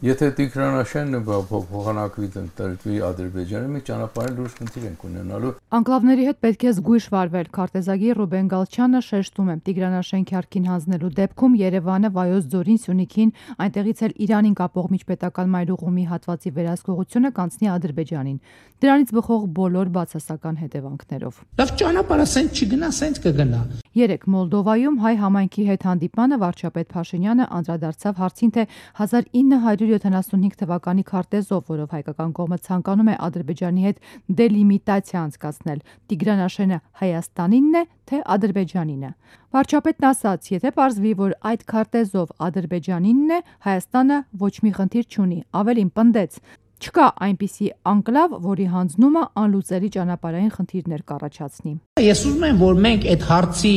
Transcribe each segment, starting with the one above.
Եթե Տիգրանաշենը փոխանակվի տրվի Ադրբեջանը, մենք ճանապարհային լուրջ խնդիր ենք ունենալու։ Անկլավների հետ պետք է զգույշ վարվել։ Քարտեզագիր Ռուբեն Գալչյանը շեշտում է, Տիգրանաշեն քյարքին հանձնելու դեպքում Երևանը Վայոց ձորին, Սյունիքին, այնտեղից էլ Իրանին կապող միջպետական մայրուղումի հատվածի վերահսկողությունը կանցնի Ադրբեջանին։ Դրանից բխող բոլոր բացասական հետևանքներով։ Լավ ճանապարհը սենց չգնա, սենց կգնա։ Երեկ Մոլդովայում հայ համայնքի հետ հանդիպանը վարչապետ Փաշինյանը անդրադարձավ հարցին, թե 1975 թվականի քարտեզով, որով հայկական կողմը ցանկանում է Ադրբեջանի հետ դելիմիտացիա անցկացնել, Տիգրանաշենը Հայաստանինն է, թե Ադրբեջանինը։ Վարչապետն ասաց, եթե պարզվի, որ այդ քարտեզով Ադրբեջանինն է, Հայաստանը ոչ մի խնդիր չունի, ավելին պնդեց. չկա այնպիսի անկլավ, որի հանձնումը անլուծելի ճանապարհային խնդիրներ կառաջացնի։ Ես ուզում եմ, որ մենք այդ հարցի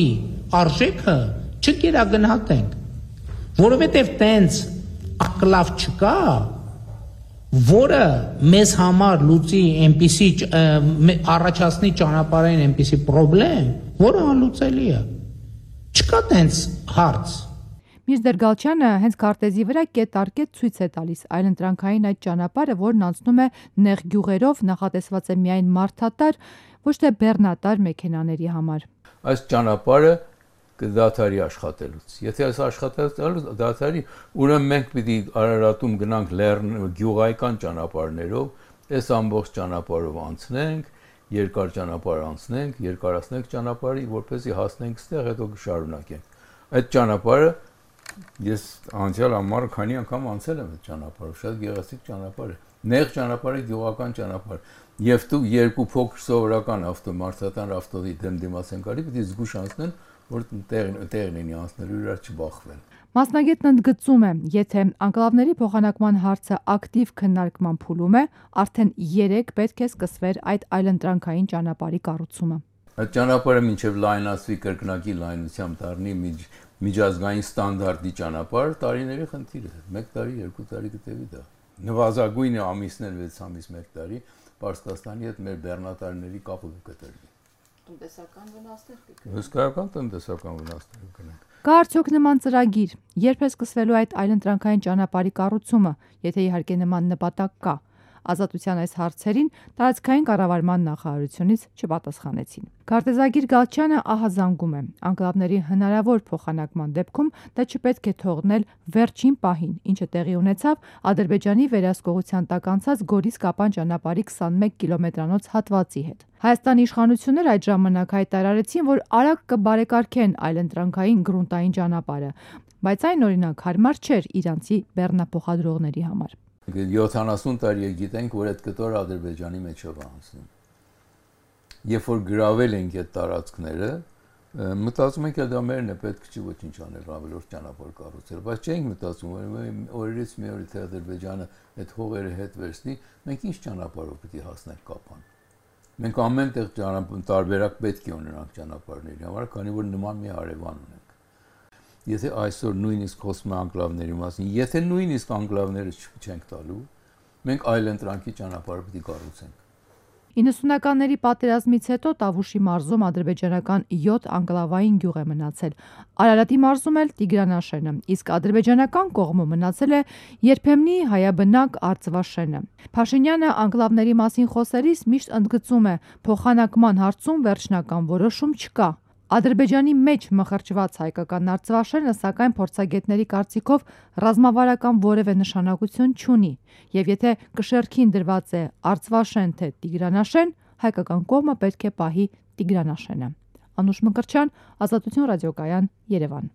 արժեքը չկերագնահատենք, որովհետև տենց անկլավ չկա, որը մեզ համար լուծի այնպիսի առաջացնի ճանապարհային այնպիսի խնդրեմ, որը անլուծելի է։ Չկա տենց հարց։ Միրզեր Գալչյանը հենց քարտեզի վրա կետարկետ ցույց է տալիս այլընտրանքային այդ ճանապարհը, որն անցնում է նեղ գյուղերով, նախատեսված է միայն մարդատար, ոչ թե բեռնատար մեքենաների համար։ Այս ճանապարհը կդադարի աշխատելուց։ Եթե այս աշխատելուց դադարի, ուրեմն մենք պիտի Արարատում գնանք գյուղայական ճանապարհներով, այս ամբողջ ճանապարհով անցնենք, երկար ճանապարհ անցնենք, երկարացնենք ճանապարհը, որպեսզի հասնենք ստեղ, հետո կշարունակենք։ Այդ ճանապարհը ես անցյալ ամառ քանի անգամ անցել եմ այդ ճանապարհով, շատ գեղեցիկ ճանապարհ է։ Նեղ ճանապարհը գյուղական ճանապարհ։ Եվ դու երկու փոքր սովորական ավտոմարտական ավտոդի դեմդիմաց են գալի, պիտի զգուշ անցնեն, որ տեղն լինի անցնելու, իրար չբախվեն։ Մասնագետն ընդգծում է, եթե անկլավների փոխանակման հարցը ակտիվ քննարկման փուլում է, արդեն 3 պետք է սկսվեր այդ այլընտրանքային ճանապարհի կառուցումը։ Այդ ճանապարհը մինչև լայնացվի կրկնակի լայնությամբ դառնի միջազգային ստանդարտի ճանապարհ, տարիների խնդիր է։ 1 տարի, 2 տարի կտևի դա։ Նվազագույնը ամիսներ 6 ամիս 1 տարի Պարսկաստանի հետ մեր բեռնատարների կապը կկտրվի։ Տնտեսական վնասներ կգնեն։ Հսկայական տնտեսական վնասներ կգնեն։ Կա արդյոք նման ծրագիր, երբ է սկսվելու այդ այլընտրանքային ճանապարհի կառուցումը, եթե իհարկե նման նպատակ կա։ Ազատության այս հարցերին տարածքային կառավարման նախարարությունից չպատասխանեցին։ Քարտեզագիր Գալչյանը ահազանգում է, անկլավների հնարավոր փոխանակման դեպքում դա չպետք է թողնել վերջին պահին, ինչը տեղի ունեցավ Ադրբեջանի վերահսկողության տակ անցած Գորիս-Կապան ճանապարհի 21 կիլոմետրանոց հատվածի հետ։ Հայաստանի իշխանությունները այդ ժամանակ հայտարարեցին, որ արագ կբարեկարգեն այլընտրանքային գրունտային ճանապարհը, բայց այն օրինակ հարմար չէր իրանցի բեռնափոխադրողների համար։ 70 տարի է գիտենք, որ այդ կտորը Ադրբեջանի մեջով է անցնում։ Երբ որ գրավել ենք այդ տարածքները, մտածում ենք, դա մերն է, պետք չի ոչինչ անել, ավելորդ ճանապարհ կառուցել, բայց չենք մտածում, օրերից մի օր թե Ադրբեջանը այդ հողերը հետ վերցնի, մենք ինչ ճանապարհով պիտի հասնենք Կապան։ Մենք ամեն տեղ տարբերակ պետք է ունենանք ճանապարհների համար, քանի որ նման մի հարևան ունենք։ Եթե այսօր նույնիսկ խոսում անկլավների մասին, եթե նույնիսկ անկլավները չենք տալու, մենք այլընտրանքի ճանապարհը պիտի կառուցենք։ 90-ականների պատերազմից հետո Տավուշի մարզում ադրբեջանական 7 անկլավային գյուղ է մնացել։ Արարատի մարզում էլ Տիգրանաշենը, իսկ ադրբեջանական կողմում մնացել է երբեմնի հայաբնակ Արծվաշենը։ Փաշինյանը անկլավների մասին խոսելիս միշտ ընդգծում է, փոխանակման հարցում վերջնական որոշում չկա։ Ադրբեջանի մեջ մխրճված հայկական Արծվաշենը, սակայն փորձագետների կարծիքով ռազմավարական որևէ նշանակություն չունի, եւ եթե կշեռքին դրված է Արծվաշեն թե Տիգրանաշեն, հայկական կողմը պետք է պահի Տիգրանաշենը։ Անուշ Մկրտչյան, Ազատություն ռադիոկայան, Երևան։